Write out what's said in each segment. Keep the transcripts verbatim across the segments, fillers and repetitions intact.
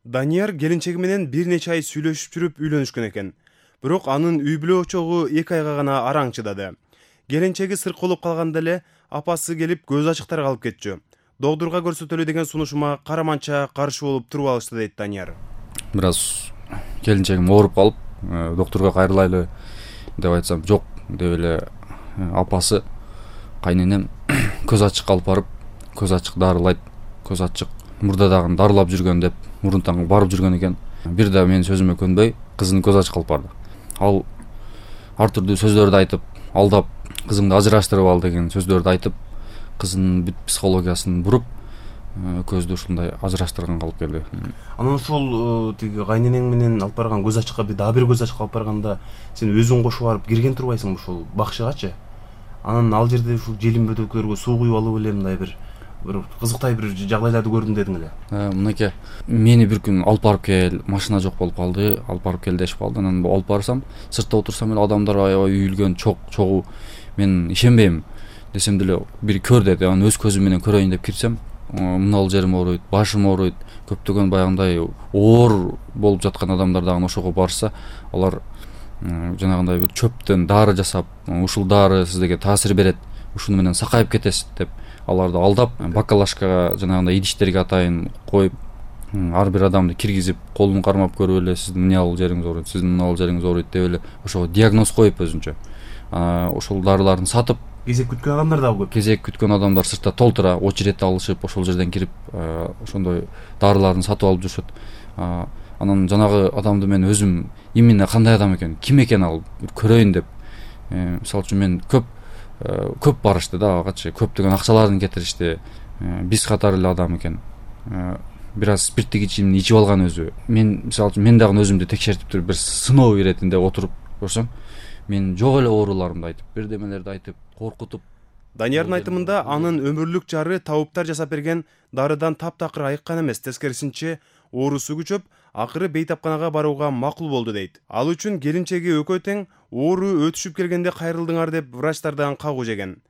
Данияр келинчеги менен бир нече ай сүйлөшүп жүрүп үйлөнүшкөн экен. Бирок анын үй бүлө очогу эки айга гана араң чыдады. Келинчеги сырколоп калганда эле апасы келип көз ачыктар калып кетчү. Докторго көрсөтөлү деген сунушума караманча каршы болуп туруп алышты дейт Данияр. Бир аз келинчегим ооруп калып, докторго кайрылайлы деп айтсам жок деп эле апасы кайненем көз ачык алып барып, көз ачык дарылайт, көз ачык мурда дагы дарылап жүргөн деп мурунтан барып жүргөн экен. Бир да менин сөзүмө көнбөй кызын көз ачык алып барды. Ал ар түрдүү сөздөрдү айтып, алдап кызыңды ажыраштырып ал деген сөздөрдү айтып, кызынын бүт психологиясын буруп, көздү ушундай ажыраштырганга алып келди. Анан ошол тиги кайненең менен алып барган көз ачыкка бир дагы бир көз ачык алып барганда сен өзүң кошуп барып кирген турбайсыңбы ошол бакчыгачы? Анан ал жерде ушул желим бөтөлкөлөргө суу куюп алып эле мындай бир бир кызыктай бир жагдайларды көрдүм дедің эле. Мынакей мени бир күн алып барып кел, машина жок болуп калды, алып барып кел дешип калды. Анан алып барсам, сыртта отурсам эле адамдар аябай үйүлгөн, чок чогуу. Мен ишенбейм десем деле бир көр деди. Анан өз көзүм менен көрөйүн деп кирсем, мынал жерим ооруйт, башым ооруйт. Көптөгөн баягындай оор болуп жаткан адамдар дагы ошого барса, алар жанагындай бир чөптөн дары жасап, ушул дары сиздерге таасир берет, ушуну менен сакайып кетесиз деп аларды алдап, бакалашкага жанагындай идиштерге атайын коюп, ар бир адамды киргизип, колун кармап көрүп эле сиздин мынал жериңиз ооруйт, сиздин мынал жериңиз ооруйт деп эле ошого диагноз коюп өзүнчө. Ошол дарыларын сатып, кезек күткөн адамдар дагы көп. Кезек күткөн адамдар сыртта толтура, очередь алышып, ошол жерден кирип, ошондой дарыларын сатып алып жүрүшөт. Анан жанагы адамды мен өзүм именно кандай адам экен, ким экен ал көрөйүн деп, мисалы үчүн мен көп көп барышты да, агачы көптөгөн акчаларын кетиришти. Биз катары эле адам экен. Бир аз спирттик ичимди ичип алган өзү. Мен мисалы үчүн мен дагы өзүмдү текшертип туруп бир сыноо иретинде отуруп көрсөм, мен жок эле ооруларымды айтып, бирдемелерди айтып, коркутуп. Даниярдын айтымында анын өмүрлүк жары табыптар жасап берген дарыдан таптакыр айыккан эмес, тескерисинче оорусу күчөп, акыры бейтапканага барууга макул болду дейт. Ал үчүн келинчеги экөө тең оору өтүшүп келгенде кайрылдыңар деп врачтардан кагуу жеген.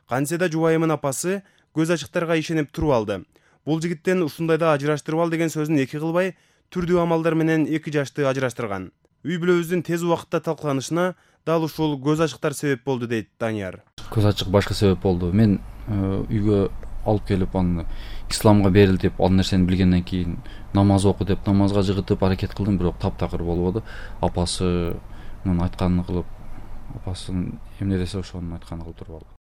Кантсе да жубайымын апасы көз ачыктарга ишенип туруп алды. Бул жигиттен ушундайда ажыраштырып ал деген сөзүн эки кылбай, түрдүү амалдар менен эки жашты ажыраштырган. Үй бүлөбүздүн тез убакытта талкаланышына дал ушул көз ачыктар себеп болду дейт Данияр. Көз ачык башка себеп болду. Мен үйгө алып келип аны исламга берилтип, ал нерсени билгенден кийин намаз оку деп намазга жыгытып аракет кылдым, бирок таптакыр болбоду. Апасынын айтканын кылып, апасынын эмне десе ошонун айтканын кылып туруп алдым.